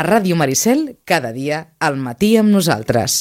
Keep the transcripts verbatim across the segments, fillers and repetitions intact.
A Ràdio Maricel, cada dia, al matí amb nosaltres.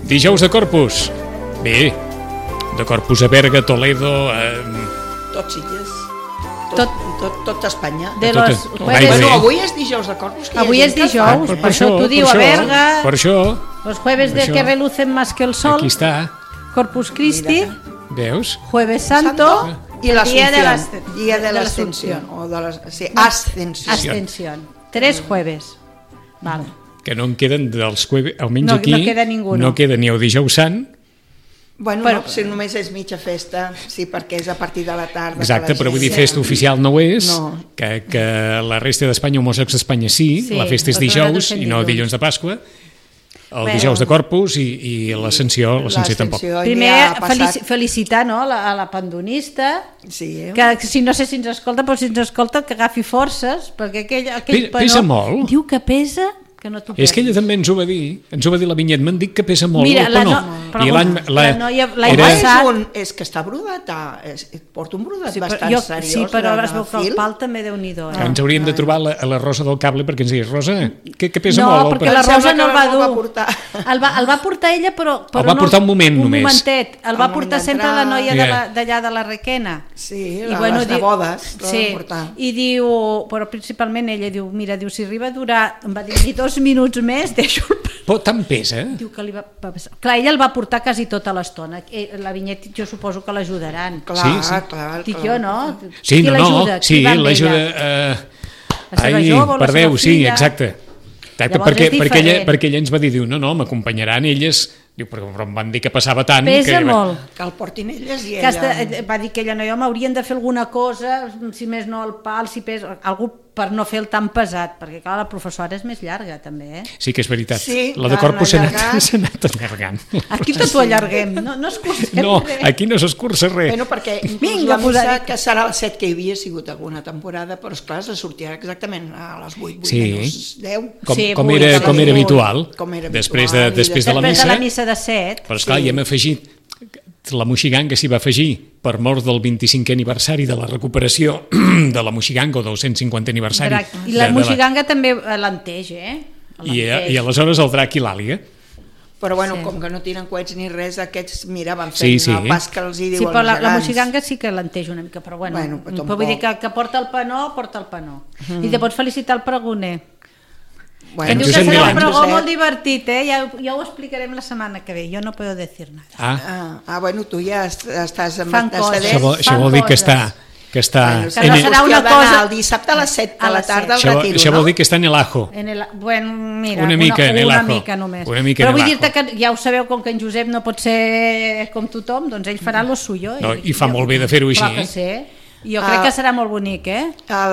Dijous de Corpus. Bé, de Corpus a Berga, Toledo... Eh... Tot Sitges. Tot, tot, tot Espanya. De tot, los jueves... Bueno, avui és dijous de Corpus. Avui és dijous, Ah, per, per això t'ho diu a Berga. Per això. Los jueves de això. que relucen más que el sol. Aquí està. Corpus Christi. Veus? Jueves Santo. I Día de la l'Ascensión. Día de l'Ascensión. O de la... Sí, Ascensión. Ascensión. Tres jueves. Vale. Que no en queden dels jueves, almenys No- aquí no queda ninguno. no queda ni el dijous sant. Bueno, Però- no, si només és mitja festa, sí, perquè és a partir de la tarda. Exacte, que la però vull dir, gent- festa oficial no ho és, No. que, que la resta d'Espanya, homòsecs d'Espanya sí, Sí, la festa és però nosaltres dijous fem i no dilluns. dilluns de Pasqua, el Bé. dijous de Corpus i, i l'Ascensió, l'Ascensió tampoc. L'Ascensió, Primer, ja ha passat- felici felicitar no, la, a la pandonista, Sí, eh? que si no sé si ens escolta, però si ens escolta que agafi forces, perquè aquell, aquell Pe- pesa molt. diu que pesa, que no t'ho És que ella també ens ho va dir, ens ho va dir la Vinyet, m'han dit que pesa molt Mira, el la panó. no- però I l'any la noia- l'any Home, era... és, passat- un, és que està brodat, ah, és, porta un brodat Sí, però, bastant jo, seriós. sí, però de- es veu de que el fil. pal també Déu-n'hi-do. Que Eh? ens hauríem de trobar la, a la Rosa del Cable perquè ens digués, Rosa, que, que pesa No, molt el perquè panó. la Em Rosa sembla no el que va no el va dur. portar. El va, el va portar ella, però... però va no, portar un moment un només. momentet. El Al va moment portar sempre d'entrar. la noia Yeah. de la- d'allà de la Requena. Sí, la- les de bodes, la sí, van portar. i diu, però principalment ella diu, mira, diu, si arriba a durar, em va dir, ni dos minuts més, deixo el panó. Però tant pesa? Diu que li va, va passar. Clar, ella el va portar quasi tota l'estona. Eh, La Vinyet jo suposo que l'ajudaran. Clar, Sí, sí. clar, Dic clar. jo, no? Sí, Qui no, no, l'ajuda? Qui sí, va amb l'ajuda... ella? Eh... La seva Ai, jove o la per seva Déu, sí, filla? exacte. Exacte, Llavors perquè, és perquè, ella, diferent. perquè ella ens va dir, diu, no, no, m'acompanyaran elles, diu, però, però em van dir que passava tant... Pesa que... molt. Que el portin elles i Que hasta, ella... va dir que ella no, jo m'haurien de fer alguna cosa, si més no el pal, si pesa, algú per no fer el tan pesat, perquè clar, la professora és més llarga també, eh? Sí que és veritat. Sí, la de l'han Corpus s'ha anat, allargat. s'ha anat allargant. Aquí tot ho allarguem, no, no escurcem No, res. aquí no s'escurça res. Bueno, perquè inclús Vinga, la missa, posadita. que serà a les set que hi havia sigut alguna temporada, però esclar, se sortirà exactament a les vuit, vuit Sí. menys deu. Com, Sí, com, vull, era, que com era vull. habitual. Com era després habitual, de, i després de la Després missa. de la missa de set, Però esclar, Sí. hi hem afegit la moixiganga s'hi va afegir per mort del vint-i-cinquè aniversari de la recuperació de la moixiganga o del cent cinquantè aniversari. Drac. I la de, de moixiganga també lenteix, eh? I, Alenteix. I aleshores el drac i l'àliga. Però bueno, Sí. com que no tiren coets ni res, aquests, mira, van Sí, fent sí. el pas que els hi diu Sí, però als la, la gegants. moixiganga sí que lenteix una mica, però bueno, Bueno, però però tampoc. vull dir que, que porta el panó, porta el panó. Mm. I te pots felicitar el pregoner. Bueno, En Diu que Josep serà un Milans. pregó molt divertit, eh? Ja, ja ho explicarem la setmana que ve, jo no puedo decir nada. Ah, Ah, ah, bueno, tu ja est- estàs amb Fan estàs coses. de això vol, això fan vol dir que coses. està... Que està Bueno, Que no en el- serà una qüestió d'anar cosa- el dissabte a les set de A la les tarda al això, retiro, això no? vol dir que està en el ajo. En el, bueno, mira, Una mica en el una ajo. mica només. Una mica Però en el vull ajo. dir-te que ja ho sabeu, com que en Josep no pot ser com tothom, doncs ell farà lo suyo. No, i fa molt bé de fer-ho així, Clar que eh? sí. Jo crec Ah. que serà molt bonic, eh? A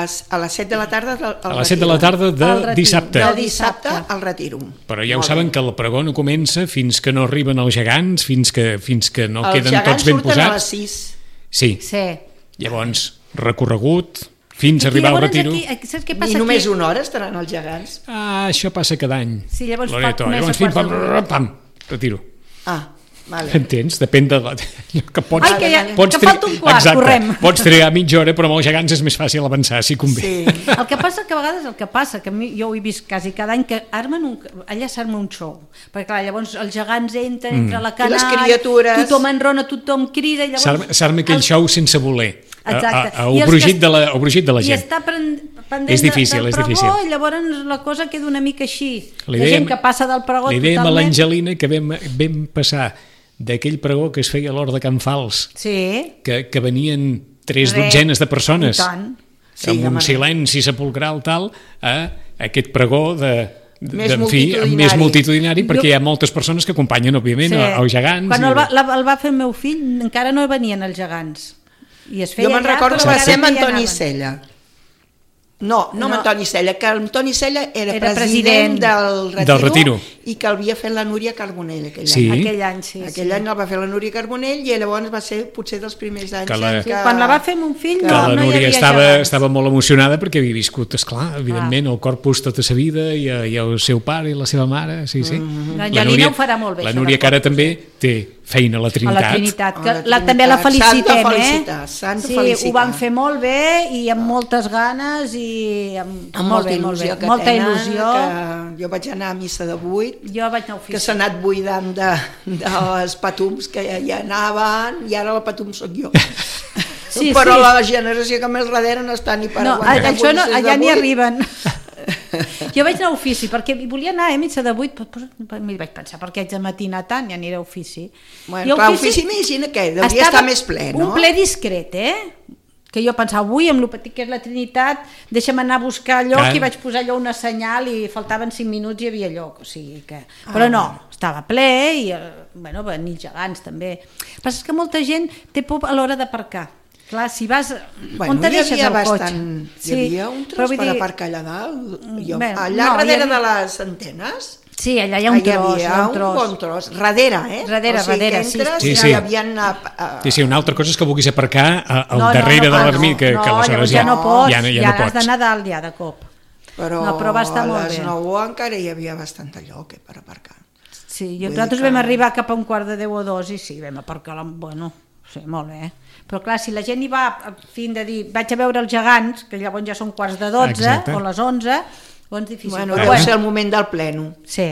les, a les set de la tarda del, A les set de la tarda de El retiro. dissabte. del de dissabte dissabte. al retiro. Però ja ho Molt saben bé. que el pregó no comença fins que no arriben els gegants, fins que, fins que no Els queden gegants tots ben surten a les posats. sis. Sí, Sí. llavors recorregut fins a Aquí, arribar al llavors, retiro. Aquí, aquí, saps què I passa només aquí? una hora estaran els gegants. Ah, això passa cada any. Sí, llavors fa- Loreto. comença Llavors, a pim, quarts pam, de pam, pam, retiro. Ah, vale. Entens? Depèn de la... que pots, Ai, que, ja, pots que falta un quart, Exacte, correm. pots trigar mitja hora, però amb els gegants és més fàcil avançar, si convé. Sí. El que passa que a vegades el que passa, que a mi, jo ho he vist quasi cada any, que armen un, allà s'arma un show, perquè clar, llavors els gegants entren Mm. entre la I les canalla, criatures. tothom enrona, tothom crida, i llavors... S'arma s'arma aquell els- show sense voler. A, Exacte. a, a, I els brugit que- de la, a brugit de la I gent. està pen- pendent És difícil, del és pregó, difícil. i llavors la cosa queda una mica així. Li La dèiem- gent que passa del pregó Li dèiem a totalment... l'Angelina que vam, vam passar d'aquell pregó que es feia a l'hora de Can Fals, Sí, que, que venien tres Re. dotzenes de persones, i tant. Sí, amb un home. silenci sepulcral tal, a aquest pregó de, de, Més en fi, multitudinari. més multitudinari, perquè Jo- hi ha moltes persones que acompanyen, òbviament, Sí. els gegants. Quan i- el va, la, el va fer el meu fill encara no venien els gegants. I es feia Jo me'n llarg, recordo que però va encara ser amb no hi Antoni anaven. Sella. No, no amb No. Antoni Sella, que Antoni Sella era, Era president, president. del retiro, Del retiro. i que l'havia fet la Núria Carbonell aquell Sí. any. Aquell any, sí. Aquell sí. any el va fer la Núria Carbonell i llavors va ser potser dels primers anys Que la- en Sí, quan la va fer mon fill que no, la no hi Núria havia estava, gegants. estava molt emocionada perquè havia viscut, esclar, evidentment, el corpus tota sa vida i, i el seu pare i la seva mare, sí, sí. Mm-hmm. L'Angelina ho farà molt bé, La això Núria del que ara corpus. també té feina a la A Trinitat. la Trinitat, que A la la, també la Trinitat. felicitem, S'han de eh? felicitar, s'han de sí, felicitar. ho van fer molt bé i amb moltes ganes i amb, amb molt molta bé, molt bé. il·lusió que molta tenen, il·lusió. que jo vaig anar a missa de vuit, Jo vaig anar a que ofici. s'ha anat buidant de, dels patums que ja, ja anaven i ara el patum sóc jo. Sí, Però sí. la generació que més darrere no està ni per No, aguantar això no, misses de allà n'hi vuit. arriben. Jo vaig anar a ofici, perquè volia anar a missa de vuit, però, però m'hi vaig pensar, perquè haig de matinar tant, ja aniré a ofici. Bueno, I a clar, ofici imagina que devia estava estar més ple, no? Un ple discret, eh? Que jo pensava, avui amb el petit que és la Trinitat, deixa'm anar a buscar lloc, Clar. i vaig posar allò una senyal i faltaven cinc minuts i hi havia lloc, o sigui que... Però no, estava ple i, eh, bueno, venir gegants també. El que passa és que molta gent té por a l'hora d'aparcar. Clar, si vas... Bueno, on te hi deixes havia el cotxe? bastant... Hi havia un però tros vull per dir- aparcar allà dalt. Jo, Bé, allà no, hi darrere havia- de les antenes Sí, allà hi ha un hi tros, hi havia ha un un tros. bon tros. Darrere, eh? Darrere, o sigui, darrere, que sí, entres, sí. ja Sí, sí. hi havia... A, a, Sí, sí, una altra cosa és que vulguis aparcar a- al No, no, darrere no, de no, l'ermita, que, no, que aleshores llavors ja, ja no pots, ja, no- ja ja no has pots. d'anar dalt ja de cop. Però, No, però va estar molt a les bé. nou encara hi havia bastant lloc eh, per aparcar. Sí, Vull jo, nosaltres dir que- vam arribar cap a un quart de deu o dos i sí, vam aparcar, la, bueno, sí, molt bé. Però clar, si la gent hi va a fin de dir, vaig a veure els gegants, que llavors ja són quarts de dotze Exacte. o les onze, llavors difícil. Bueno, Però deu Bueno. ser el moment del pleno. Sí.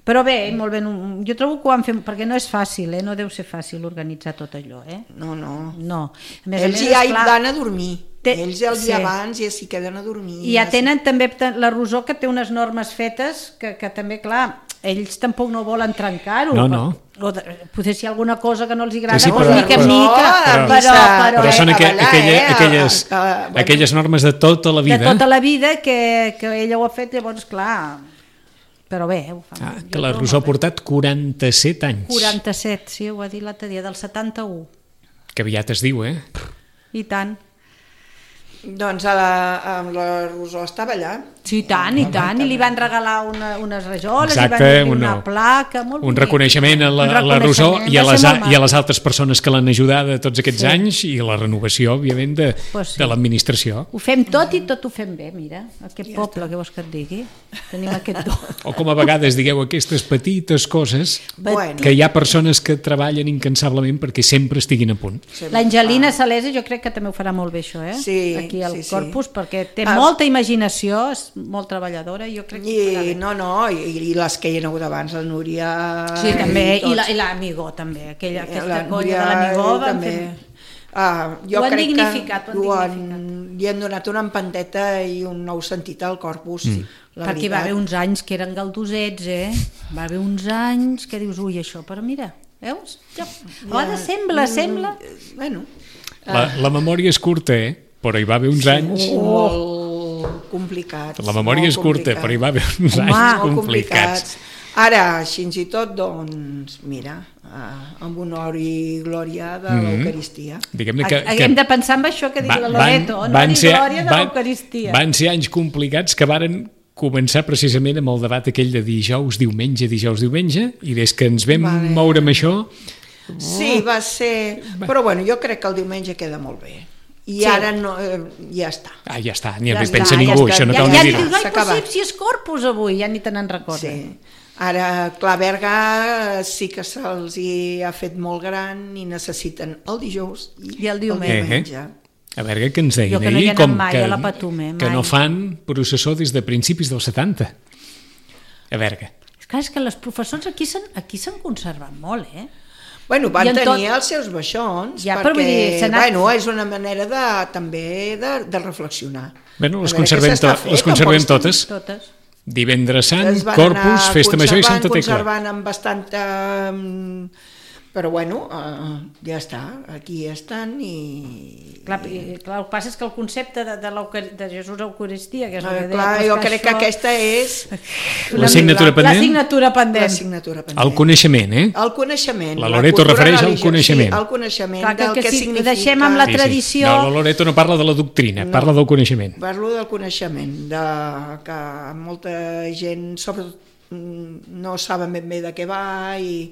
Però bé, molt bé, no- jo trobo que ho han fet, perquè no és fàcil, eh? No deu ser fàcil organitzar tot allò, eh? No, no. No. A més, a Ells més, ja hi esclar, van a dormir. Té- Ells el dia sí. abans ja s'hi queden a dormir. I ja tenen també la Rosó, que té unes normes fetes que, que també, clar, ells tampoc no volen trencar-ho. No, no. O de, potser si hi ha alguna cosa que no els agrada, Sí, sí, doncs però- mica en però- mica, però- però, però, Però són a aqu ballar, aquella, eh, a- aquelles, a- a- bueno. aquelles normes de tota la vida. de tota la vida que, que ella ho ha fet, llavors, clar, però bé, ho fa. Ah, jo que la trobo Rosó ha molt bé. portat quaranta-set anys. quaranta-set, sí, ho ha dit l'altre dia, del setanta-u. Que aviat es diu, eh? I tant. Doncs a la, amb la Rosó estava allà. Sí, i tant, i tant, i li van regalar una, unes rajoles, Exacte, li van donar una- una placa, molt Un bonic. reconeixement a la, Un a la Rosó reconeixement, i a, va les, ser a, molt i a les maco. altres persones que l'han ajudat tots aquests Sí. anys i la renovació, òbviament, de, Pues sí. de l'administració. Ho fem tot i tot ho fem bé, mira, aquest poble, què vols que et digui? Tenim aquest do. O com a vegades digueu aquestes petites coses Bueno, que hi ha persones que treballen incansablement perquè sempre estiguin a punt. L'Angelina Salesa jo crec que també ho farà molt bé això, eh? Sí, Aquí al sí, sí. Corpus, perquè té Ah. molta imaginació, és molt treballadora, jo crec que ho farà I, bé. no, no, i, i les que hi ha hagut abans, la Núria... Sí, també, i tots. la- i l'Amigó també, aquella, aquesta La colla de Núria l'Amigó van també. fer... Ah, jo Ho han crec dignificat, que ho han han, li han donat una empanteta i un nou sentit al corpus. Mm. La Perquè va veritat. haver uns anys que eren galdosets, eh? Va haver uns anys que dius, ui, això, però mira, veus? Ja, a vegades sembla, sembla... Bueno, La, la memòria és curta, eh? Però hi va haver uns anys... molt complicats. La memòria molt és curta, complicats. però hi va haver uns Home, anys molt complicats. Ara, així i tot, doncs, mira, eh, amb honor i glòria de mm-hmm. l'Eucaristia. Diguem-ne que, que... Hem de pensar en això que diu la Loreto, honor i glòria de l'Eucaristia. Van ser anys complicats que varen començar precisament amb el debat aquell de dijous, diumenge, dijous, diumenge, i des que ens vam vale. moure amb això... Sí, va ser... Però bueno, jo crec que el diumenge queda molt bé. I sí. ara no, eh, ja està. Ah, ja està, ni ja pensa està, ningú, ja això no cal ja, ni dir-ho. Ja, ja, ja, ja, si és Corpus avui, ja ni te n'en recorden. Sí. Ara, clar, Berga sí que se'ls ha fet molt gran i necessiten el dijous i, I el diumenge. Eh, eh. A veure, què ens deien jo que no ahir? hi Com mai que, a la Patume, que no fan processó des de principis dels setanta. A veure. És clar, és que les professors aquí s'han conservat molt, eh? Bueno, van tenir tot... els seus baixons, ja, perquè dir, anat... bueno, és una manera de, també de, de reflexionar. Bueno, les conservem, to fet, les conservem totes. totes. Divendres Sant, Corpus, Festa Major i Santa Tecla. Conservant amb bastanta... Però bueno, uh, ja està, aquí estan i... Clar, clar, el que passa és que el concepte de, de, de Jesús Eucaristia, que és el que deia... Clar, jo crec que aquesta és... L'assignatura pendent? L'assignatura pendent. L'assignatura pendent. El coneixement, eh? El coneixement. La Loreto refereix al coneixement. Sí, al coneixement clar, que, del que, que si significa... deixem amb la sí, tradició... Sí. No, la Loreto no parla de la doctrina, no, parla del coneixement. Parlo del coneixement, de que molta gent, sobretot, no saben ben bé de què va i...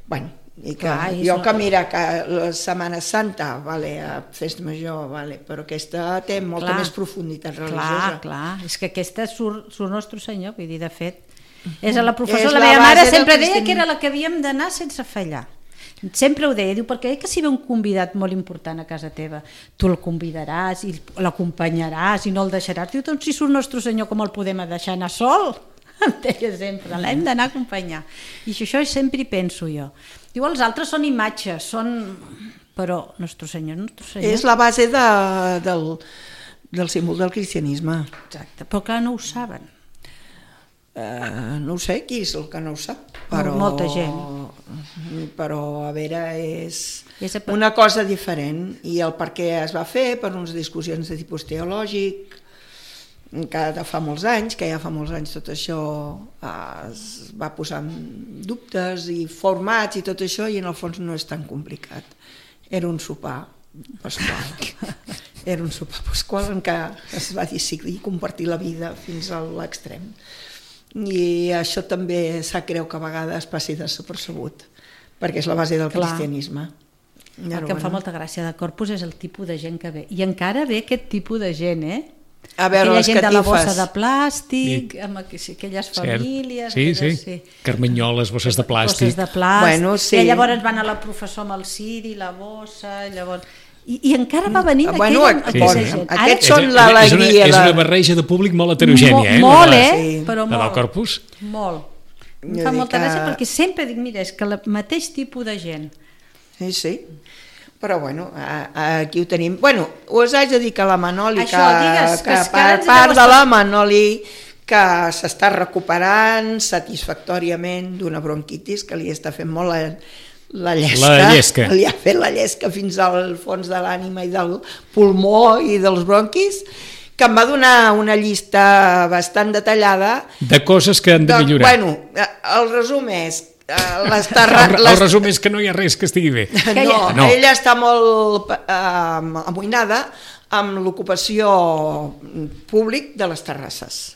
Bueno, i que clar, jo que mira que la Setmana Santa vale, a Festa Major vale, però aquesta té molta clar, més profunditat religiosa. Clar, clar, és que aquesta surt, surt Nostre Senyor, vull dir, de fet és a la professora, la, la meva mare sempre deia que era la que havíem d'anar sense fallar, sempre ho deia, diu, perquè que si ve un convidat molt important a casa teva, tu el convidaràs i l'acompanyaràs i no el deixaràs, diu, doncs si surt Nostre Senyor com el podem deixar anar sol? Em deia sempre, l'hem d'anar a acompanyar i això sempre hi penso jo. Diu, els altres són imatges, són... però Nostre Senyor, Nostre Senyor... És la base de, del, del símbol del cristianisme. Exacte, però clar, no ho saben. Uh, no ho sé, qui és el que no ho sap? Però, molta gent. Però, a veure, és, és a... una cosa diferent i el per què es va fer, per unes discussions de tipus teològic, que de fa molts anys, que ja fa molts anys tot això es va posar en dubtes i formats i tot això, i en el fons no és tan complicat. Era un sopar pasqual. Era un sopar pasqual en què es va decidir compartir la vida fins a l'extrem. I això també sap greu que a vegades passi desapercebut, perquè és la base del clar. Cristianisme. El que em fa molta gràcia de Corpus és el tipus de gent que ve. I encara ve aquest tipus de gent, eh? A veure, aquella les gent catifes. De la bossa de plàstic, sí. Amb aquelles famílies... Sí, aquelles, sí, sí, carmanyoles, bosses de plàstic. Bosses de plàstic, bueno, sí. I llavors van a la professor amb el ciri, la bossa, llavors... I, i encara va venint bueno, aquella, sí, aquella sí. gent. Aquests són l'alegria. És, és una barreja de públic molt heterogènia, eh? Molt, eh? Sí. Però molt. La del Corpus? Molt. Em fa molta gràcia perquè sempre dic, mira, és que el mateix tipus de gent. Sí, sí. Però bueno, aquí ho tenim. Bueno, us haig de dir que la Manoli, això, que, digues, que, que per part de la Manoli, que s'està recuperant satisfactòriament d'una bronquitis que li està fent molt la, la llesca. La llesca. Li ha fet la llesca fins al fons de l'ànima i del pulmó i dels bronquis, que em va donar una llista bastant detallada. De coses que han de, de millorar. Bueno, el resum és... Les terra... el, el resum és que no hi ha res que estigui bé. No, no. Ella està molt eh, amoïnada amb l'ocupació públic de les terrasses,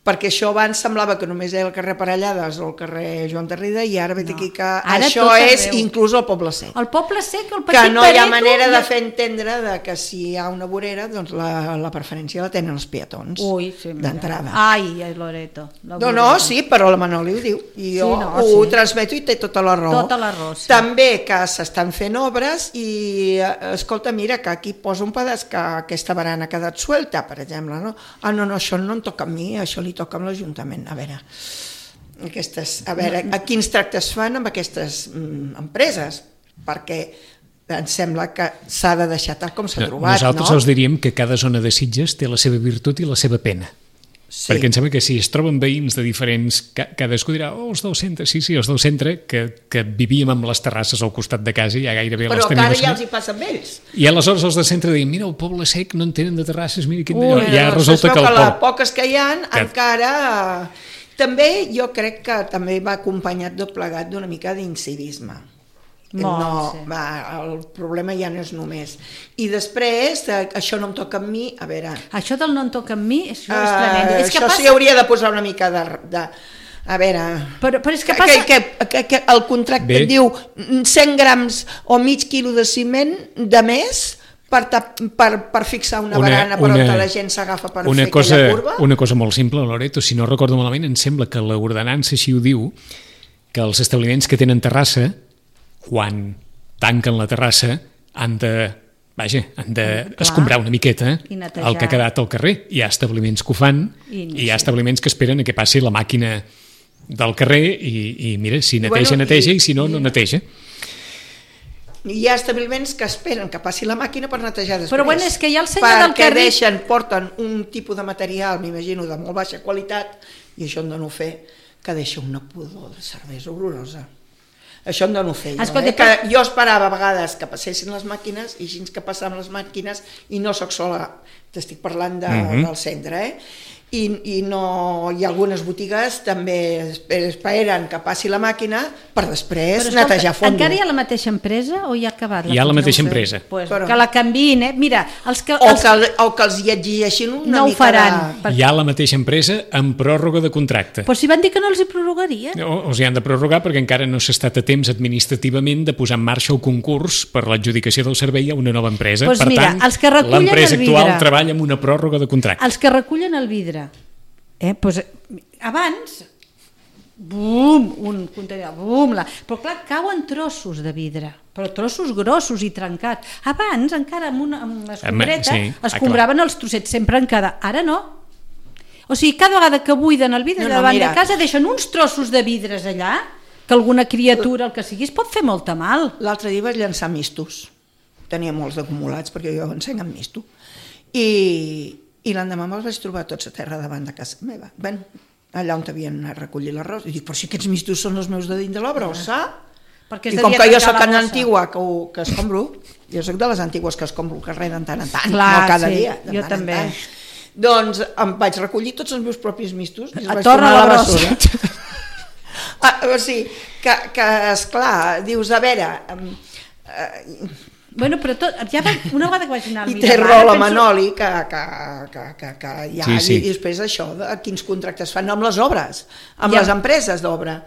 perquè això abans semblava que només era el carrer Parellades o el carrer Joan Tarrida, i ara veig no. aquí que ara això és arreu. Inclús el Poble Sec. El Poble Sec, el Petit que no hi ha Pareto, manera i... de fer entendre de que si hi ha una vorera, doncs la, la preferència la tenen els peatons sí, d'entrada. Ai, Loreto. No, no, sí, però la Manoli ho diu i jo sí, no, ho sí. transmeto i té tota la raó. Tota la raó, sí. També que s'estan fent obres i, escolta, mira, que aquí posa un pedaç que aquesta barana ha quedat suelta, per exemple, no? Ah, no, no, això no em toca a mi, això li toca a l'Ajuntament. A veure, aquestes, a veure, a quins tractes fan amb aquestes mm, empreses, perquè em sembla que s'ha de deixar tal com s'ha trobat. Nosaltres no? us diríem que cada zona de Sitges té la seva virtut i la seva pena. Sí. Perquè em sembla que si es troben veïns de diferents... Cadascú dirà, oh, els del centre, sí, sí, els del centre, que, que vivíem amb les terrasses al costat de casa i ja gairebé però les tenim... Però que ara ja els hi passa amb ells. I aleshores els del centre diuen, mira, el Poble Sec no en tenen de terrasses, mira quin... Ui, ja doncs resulta que el que poble... les poques que hi ha que... encara També jo crec que també va acompanyat tot plegat d'una mica d'incivisme. Molt, no, sí. va, el problema ja no és només. I després, eh, això no em toca amb mi, a veure... Això del no em toca amb mi, això és Uh, tremendo. És que això passa... sí hauria de posar una mica de... de a veure... Però, però és que passa... Que, que, que, que el contracte Bé. et diu cent grams o mig quilo de ciment de més per, tap, per, per fixar una, una barana per on la gent s'agafa per una fer cosa, aquella curva. Una cosa molt simple, Loreto, si no recordo malament, em sembla que l'ordenança així ho diu, que els establiments que tenen terrassa, quan tanquen la terrassa, han de, vaja, han de Clar. escombrar una miqueta I netejar. el que ha quedat al carrer. Hi ha establiments que ho fan I, i hi ha establiments que esperen a que passi la màquina del carrer i, i mira, si neteja, bueno, neteja, i- i si no, no neteja. Hi ha establiments que esperen que passi la màquina per netejar després. Però bueno, és que hi ha el senyor del perquè carrer- deixen, porten un tipus de material, m'imagino, de molt baixa qualitat, i això em dono fer, que deixa una pudor de cervesa horrorosa. Això em dono fer jo, Escolta, eh? Que jo esperava a vegades que passessin les màquines, i així que passaven les màquines, i no soc sola, t'estic parlant de, Mhm. del centre, eh? I, i no, hi ha algunes botigues també esperen que passi la màquina per després Però, escolta, netejar a fondo. encara hi ha la mateixa empresa o ja ha acabat? Hi ha la funció? mateixa No ho sé. empresa. Pues, Però- que la canviïn, eh? Mira, els que... O Els... que, o que els hi exigeixin una No ho mica faran. de... Per- Hi ha la mateixa empresa amb pròrroga de contracte. Pues si van dir que no els hi prorrogarien. O, o sigui, han de prorrogar perquè encara no s'ha estat a temps administrativament de posar en marxa el concurs per l'adjudicació del servei a una nova empresa. Doncs per mira, tant, els que recullen l'empresa el vidre- actual treballa amb una pròrroga de contracte. Els que recullen el vidre. Eh? Pues, abans, bum, un contenidor, bum, la... però clar, cauen trossos de vidre, però trossos grossos i trencats. Abans, encara amb una, amb una escombreta, sí, ah, escombraven els trossets sempre en cada... Ara no. O sigui, cada vegada que buiden el vidre No, no, davant mira. de casa deixen uns trossos de vidres allà, que alguna criatura, el que sigui, es pot fer molta mal. L'altre dia vaig llançar mistos. Tenia molts d'acumulats perquè jo encenc amb misto. I, i l'endemà me'ls vaig trobar tots a terra davant de casa meva. Bueno, allà on havien anat a recollir l'arròs. I dic, però si aquests mistos són els meus de dins de la brossa. Perquè es I com devia que jo trencar sóc la tan bossa. antigua que, ho, que escombro, jo sóc de les antigues que escombro el carrer de tant en tant, Clar, no cada sí, dia. De jo tant en també. tant. Doncs em vaig recollir tots els meus propis mistos i els A vaig torna tornar a la la brossa. bessura. Ah, o sigui, que, que esclar, dius, a veure... em, eh, Bueno, però tot, ja va, una vegada que vaig anar al I té Miramar, raó la penso- Manoli, que, que, que, que, que hi ha, Sí, sí. i després això, de quins contractes fan amb les obres, amb Ja. les empreses d'obra,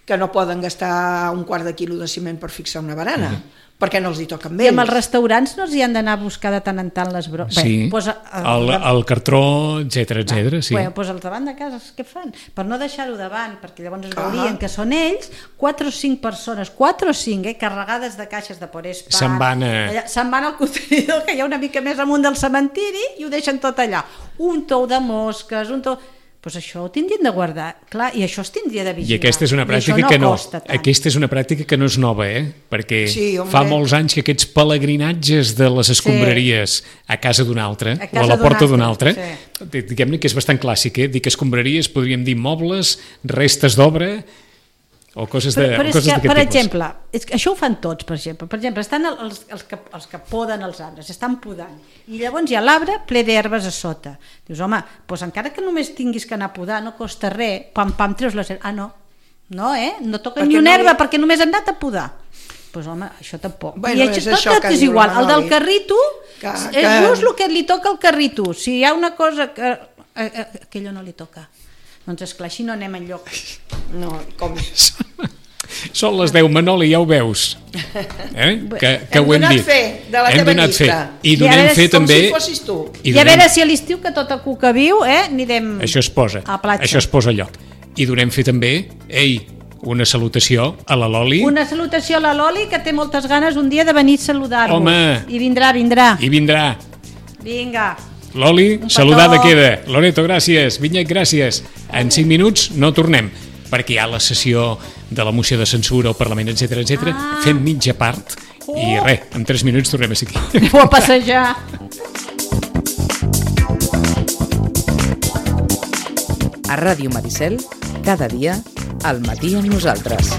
que no poden gastar un quart de quilo de ciment per fixar una barana, perquè no els hi toquen I bé. amb els restaurants no els hi han d'anar a buscar de tant en tant les bromes. Sí, Bé, doncs, el, el cartró, etcètera, etcètera, sí. Bé, doncs els davant de casa, què fan? Per no deixar-ho davant, perquè llavors es Ah. veurien que són ells, quatre o cinc persones, quatre o cinc, eh, carregades de caixes de Porespa. Se'n van a- allà, se'n van al contenidor, que hi ha una mica més amunt del cementiri, i ho deixen tot allà. Un tou de mosques, un tou... Doncs això ho tindrien de guardar, clar, i això es tindria de vigilar. I aquesta és una I pràctica això no que no, costa tant. aquesta és una pràctica que no és nova, eh? Perquè Sí, home. fa molts anys que aquests pelegrinatges de les escombraries a casa d'un altre, A o casa a la d'un porta d'un altre, altre, di- diguem-ne que és bastant clàssic, eh? Dic escombraries, podríem dir mobles, restes d'obra, o coses de- Però, però o és coses que, d'aquest per tipus. exemple, és que això ho fan tots, per exemple. Per exemple, estan el- els, els, que, els que poden els arbres, estan podant, i llavors hi ha l'arbre ple d'herbes a sota. Dius, home, doncs encara que només tinguis que anar a podar, no costa res, pam, pam, treus les herbes. Ah, no, no, eh? No toca Perquè ni una no herba, hi- perquè només han anat a podar. Doncs pues, home, això tampoc. Bueno, I és tot, això tot que és diu igual. la El del Manoli. carrito, Que- és que- just el que li toca al carrito. Si hi ha una cosa que... Eh, eh, aquello no li toca. Doncs esclar, així no anem enlloc. No, com... Són les deu, Manoli, ja ho veus. Eh? Que, que Hem ho hem donat dit. fe de la hem teva donat llista. fe. I I a donem veure, fe com també... si fossis tu. I, a veure si a l'estiu, que tot el cuca viu, eh, anirem Això es posa, a la platja. això es posa a lloc. I donem fer també, ei, una salutació a la Loli. Una salutació a la Loli, que té moltes ganes un dia de venir a saludar-vos. Home. I vindrà, vindrà. I vindrà. Vinga. Loli, petó. saludada queda. Loreto, gràcies. Vinyet, gràcies. En cinc minuts no tornem, perquè hi ha la sessió de la moció de censura al Parlament, etcètera, etcètera. Ah. Fem mitja part i Oh. res, en tres minuts tornem a ser aquí. Aneu a passejar. A Ràdio Maricel, cada dia, al matí amb nosaltres.